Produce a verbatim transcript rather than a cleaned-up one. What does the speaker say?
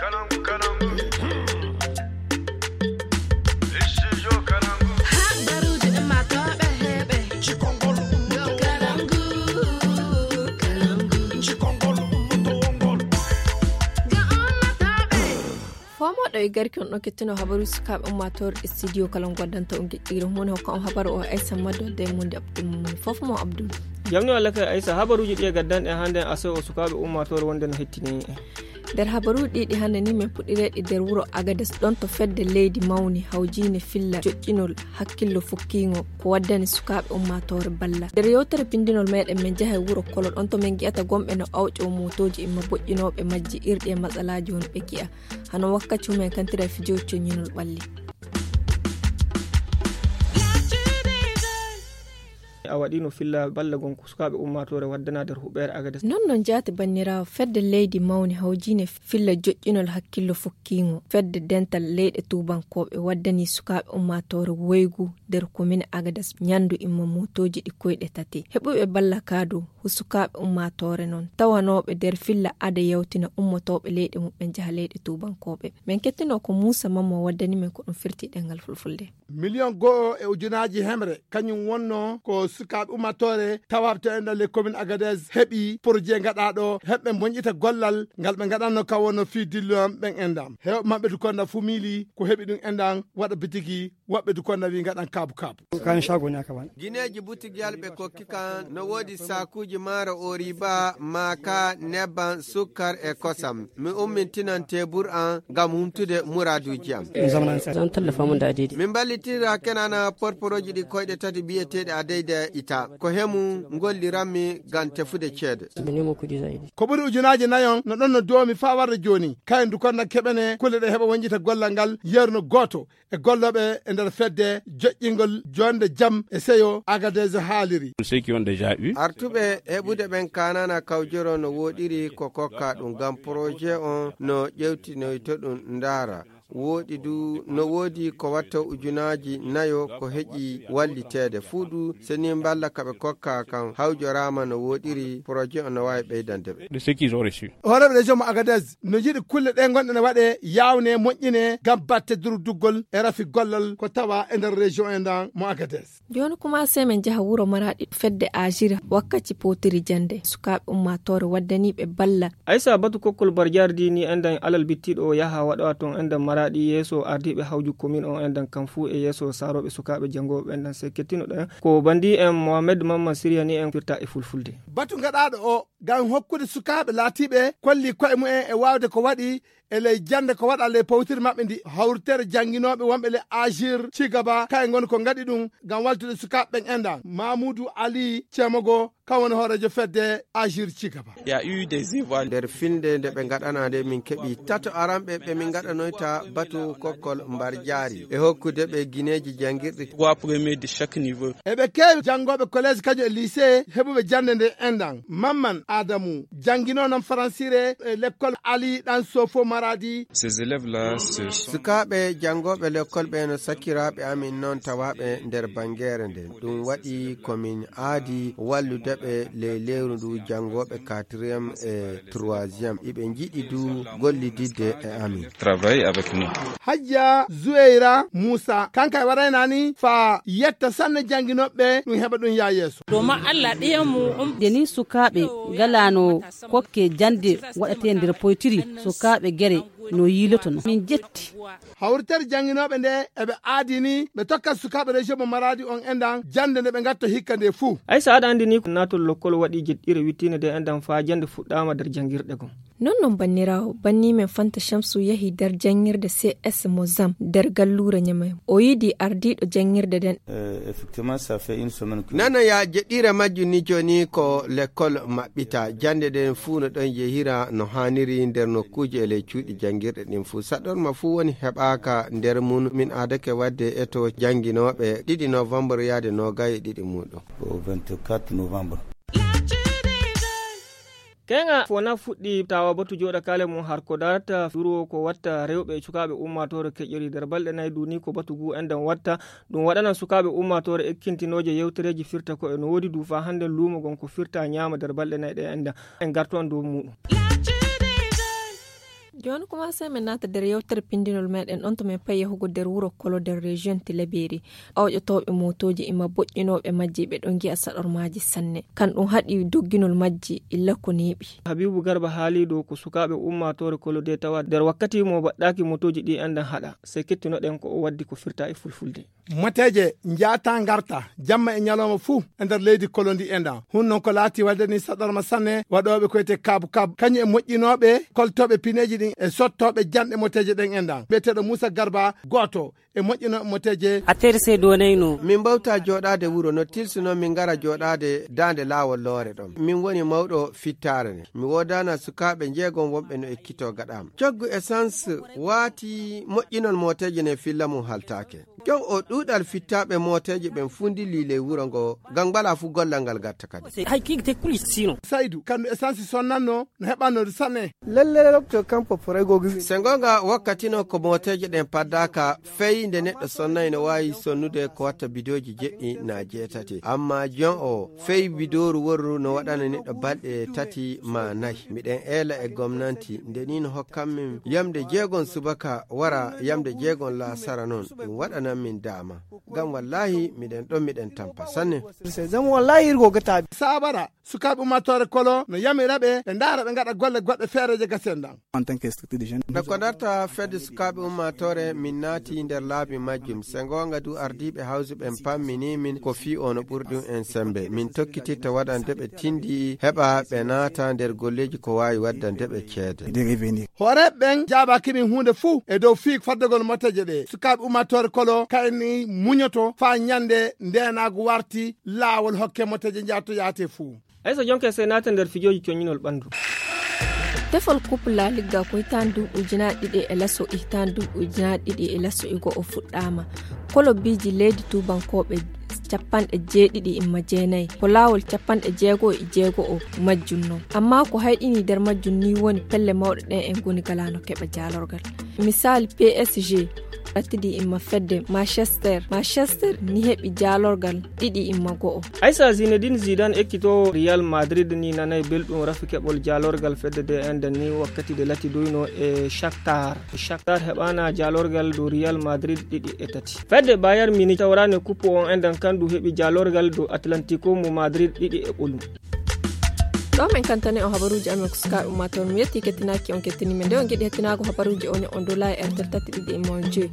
Habaruuji ummaatooɓe heɓe. Cikongol ummaatooɓe. Cikongol ummaatooɓe. Foomoɗo e garki on ɗon kettino habaru sukaaɓe ummaatoore e studio kala goddanta on giɗɗiire mum hokka on habaru o aysa maddo de munde abdul mum fof mo abdul. Jamni walla kay aysa habaruuji ɗi e gaddanɗe hannde aso o sukaaɓe ummaatoore wonde no hettini. Nder habaruuji ɗiɗi hannde ni min puɗɗireɗi nder wuro agades ɗon to fedde leydi mawni hawjiine filla joƴƴinol hakkillo fukkiingo ko waddani sukaaɓe ummaatoore balla nder yewtere pindinol meɗen min njaha e wuro kolo ɗon to min ngi'ata gomɓe no awƴo motooji imma boƴƴinooɓe majji irɗi e matsalaaji woni ɓe gi'a hano wakkaci humen kantira e fijooji coññinol ɓalli. A waɗino filla balla gon ko sukaaɓe ummaatoore waddana nder huɓeere agades non non jaati banniraawo fedde leydi mawni hawjiine filla joƴƴinol hakkillo fukkiingo fedde dental leyɗe tuubankooɓe waddani sukaaɓe ummaatoore woygu nder komin agades ñanndu imma motooji ɗi koyɗe tati heɓuɓe balla kaado hu sukaaɓe ummaatoore non tawanooɓe nder filla ada yawtina ummotooɓe leyɗe muɓɓen njaha leyɗe tuubankooɓe. Min kettino ko muusa mamma waddani min ko ɗum firti ɗengal fulfulde. Miliyon go'o e ujunaaji hemre kañum wonno ko sukaaɓe ummaatoore tawaaɓe to enɗan les communes agadez heɓi projet gaɗaaɗo heɓɓe moñƴita gollal ngal ɓe gaɗanno ka wonno fii dilluyan ɓen enɗan heewɓe maɓɓe du konda fuu miili ko heɓi ɗum enɗan waɗa bitigi woɓɓe du konda wi gaɗan kaabu kaabu. Kan shago ne aka bani. Gineeji butigiyal ɓe kokki kan no woodi saakuuji maaro oriba maaka nebban sukkar e kosam. Mi ummintinan tebur an ngam humtude muraaduuji am. Min mballitiri rakenana porporooji ɗi koyɗe tati biyeteeɗi adeyda ita ko hemu ngolliranmi ngam tefude ceede. Ko ɓuri ujunaaji nayon no ɗon no doomi faa warde jooni kayen du konda keɓene kulle ɗe heɓa woñƴita gollal ngal yeru no gooto e gollooɓe e nder fedde joƴƴingol joonde jam e seyo agadez haaliri. Artuɓe heɓude ɓen kaanana kawjoro no wooɗiri ko kokka ɗum ngam porojet on no ƴewtinoyto ɗum ndaara wooɗi du no woodi ko watta ujunaaji nayo ko heƴi walliteede fuu du seni mballa ka ɓe kokka kan hawjoraama no wooɗiri porojet on no waawi ɓeydande ɓe. Hooreeɓe région mo agadez no njiɗi kulle ɗe ngonɗe ne waɗe yawne moƴƴine ngam batte durduggol e rafi gollal ko tawa e nder région e ndan mo agadez. Jooni kuma se min njaha wuro maraɗi fedde ajiri wakkaci potiri jande sukaaɓe ummaatoore waddaniiɓe balla. Aysa batu kokkol barjaari di ni endan alal bittiiɗo o yaha waɗowa toon endan maraɗi yeeso ardiiɓe hawju komin on endan kam fuu e yeeso saarooɓe sukaaɓe janngooɓe endan se kettinoɗen ko bandi en mohamed mamman siriyani en firta e fulfulde. Batu gaɗaaɗo o ngam hokkude sukaaɓe laatiiɓe kolli koye mumen e waawde ko waɗi e ley jannde ko waɗa ley pawtiri maɓɓe ndi hawritere jannginooɓe wonɓe ley agir cigaba kaye ngoni ko ngaɗi ɗum ngam waltude sukaaɓe ɓen enɗan mamoudou ali cemogo kan woni hooreejo fedde agir cigaba. Nder filnde nde ɓe ngaɗana nde min keɓi tato aranɓe ɓe min ngaɗanoyta batu kokkol mbar jaari e hokkude ɓe gineeji janngirɗi. Eɓe keewi janngooɓe collège kañum e lycée heɓuɓe jannde nde enɗan mamman adamu janngino non faransire e lekkol ali ɗan sofo maradi. Sukaaɓe janngooɓe lekkol ɓe no sakkiraaɓe amin non tawaaɓe nder banngeere nden ɗum waɗi ko min aadi wallude ɓe ley lewru ndu janngooɓe quatrième e troisième iɓe njiɗi du gollididde e amin. Hajja zuweyra muusa kanka e waraynani faa yetta sanne jannginooɓe ɗum heɓa ɗum yaa yeeso. Domin allah ɗiyanmu. Nde ni sukaaɓe ngalaano kokke jannde waɗatee nder poytiri sukaaɓe gere no yiilotono min jetti. Hawritere jannginooɓe nde eɓe aadini ɓe tokkat sukaaɓe région mo maradi on enɗan jannde nde ɓe ngatto hikka nde fuu. Aysa aɗa anndi ni ko naatol lokkol waɗi jeɗɗire wittiinde nde enɗan faa jannde fuɗɗaama nder janngirɗe gom. Non non banniraawo banni men fanta shamsu yahi nder janngirde cs mo zam nder galluure ñamay o yiɗi ardiiɗo janngirde nden. Nana ya jeɗɗiire majjum ni jooni ko lekkol maɓɓita jannde nden fuu no ɗon yehira no haaniri nder nokkuuje e ley cuuɗi janngirɗe ɗin fuu saɗorma fuu woni heɓaaka nder mum min aadake waɗde eto jannginooɓe ɗiɗi novembre yahde noogay e ɗiɗi muuɗum. Keŋa fo na fuɗɗi tawa batu jooɗa kale mum har ko darata duro ko watta rewɓe e cukaaɓe ummaatoore keƴƴori nder balɗe nayi duni ko batu ngu enɗan watta ɗum waɗanan sukaaɓe ummaatoore ekkintinooje yewtereeji firta ko e no woodi du faa hannden luumo ngon ko firta ñaama nder balɗe nayi ɗe enɗan en ngartu on dow muuɗum. Jooni kumaasee men naata nder yewtere pinndinol meɗen ɗon to men payi yahugo nder wuro Kolo nder region Tilaberi. Awƴotooɓe mootooji e ma boƴƴinooɓe majji ɓe ɗon ngi'a saɗormaaji sanne. Kan ɗum haɗi dogginol majji illa ko neeɓi. Habibu Garba haali ɗo ko sukaaɓe ummaatoore Kolo de tawa nder wakkati mo baɗɗaaki mootooji ɗi enɗan haɗa. Sey kettunoɗen ko o waddi ko firta e fulfulde. Moteeje njaata ngarta jamma e ñalawma fuu e nder leydi Kolo ndi enɗan. Hun non ko laati wadde ni saɗorma sanne waɗooɓe ko wiyetee kaabu kaabu. Kañum e moƴƴinooɓe koltooɓe pineeji ɗin e sottooɓe janɗe moteeje ɗen enɗan. Biyeteeɗo Muusa Garba gooto e moƴƴinooɓe moteeje. A terse donayno. Min mbawta jooɗaade wuro no tilsuno min ngara jooɗaade daande laawol loore ɗon. Min woni mawɗo fittaare ne. Mi woodana sukaaɓe njeegom wonɓe no ekkitoo gaɗaam. Coggu essence waati moƴƴinol moteeje ne filla mum haltaake. Jon o ɗuuɗal fittaaɓe mooteeje ɓen fuu ndillii ley wuro ngo, ngam ngalaa fuu gollal ngal gatta kadi. Hay kii te kuli sino. Saydu, kandu essence sonnanno, no heɓanno du sanne. Lalle lokto kampo poray gogi. Se ngoonga wakkati no ko mooteeje ɗen paddaaka, fey nde neɗɗo sonnay no waawi sonnude ko watta bidooji jeɗɗi naa jeetati. Amma jon o, fey bidooru worru no waɗana neɗɗo balɗe tati maa nay. Miɗen eela e gomnanti, nde nii no hokkan min yamde jeegon subaka wara yamde jeegon laasara non, ɗum waɗanan min daama. Ngam wallaahi miɗen ɗon miɗen tampa sanne. Zama wallaahi irgo gata. Saabara, sukaaɓe ummaatoore Kolo no yamira ɓe, ɓe ndaara ɓe ngaɗa golle goɗɗe feereeje gasen ɗan. En tant que structure de jeune. No ko darta fedde sukaaɓe ummaatoore, min naati nder laabi majjum. Se ngoonga du ardiiɓe hawsu ɓen pammini min ko fii o no ɓuri ɗum en sembe. Min tokkitirta waɗande ɓe tindi heɓa ɓe naata nder golleeji ko waawi waddande ɓe ceede. Des revenus. Hooreeɓe ɓen jaabaaki min huunde fuu e dow fii faddagol moteeje ɗe. Sukaaɓe ummaatoore Kolo kayni muñoto faa ñande ndeenaagu warti laawol hokke moteeje njaato yaate fuu. Aysa jonke sey naata nder fijooji coñinol ɓandu. Tefol Coupe La Liga ko hitaande duuɓi ujunaaji ɗiɗi e laso, hitaande duuɓi ujunaaji ɗiɗi e laso e go'o fuɗɗaama. Kolobiiji leydi tuubankooɓe capanɗe jeeɗiɗi imma jeenayi. Ko laawol capanɗe jeego e jeego o majjum non. Ammaa ko hayɗini nder majjum ni woni pelle mawɗe ɗen en ngoni galaano keɓa jaalorgal. Misaali P S G, latidi imma fedde Manchester. Manchester ni heɓi jaalorgal ɗiɗi imma go'o. Aysa Zinedine Zidane ekkitoowo Real Madrid ni nanay belɗum rafi keɓol jaalorgal fedde de enden ni wakkati de latidoyno e Shakhtar. Shakhtar heɓaana jaalorgal dow Real Madrid ɗiɗi e tati. Fedde Bayern Munich tawraane kuppu on enden kandu heɓi jaalorgal dow Atlantico mo Madrid ɗiɗi e ɓolum. Ɗo men kantane on habaruuji amen ko sukaaɓe ummaatoore. Mi yetti kettinaaki on kettini men. Nde on ngiɗi hettinaago habaruuji o, ne on dola e R T L tati ɗiɗi e mon joy.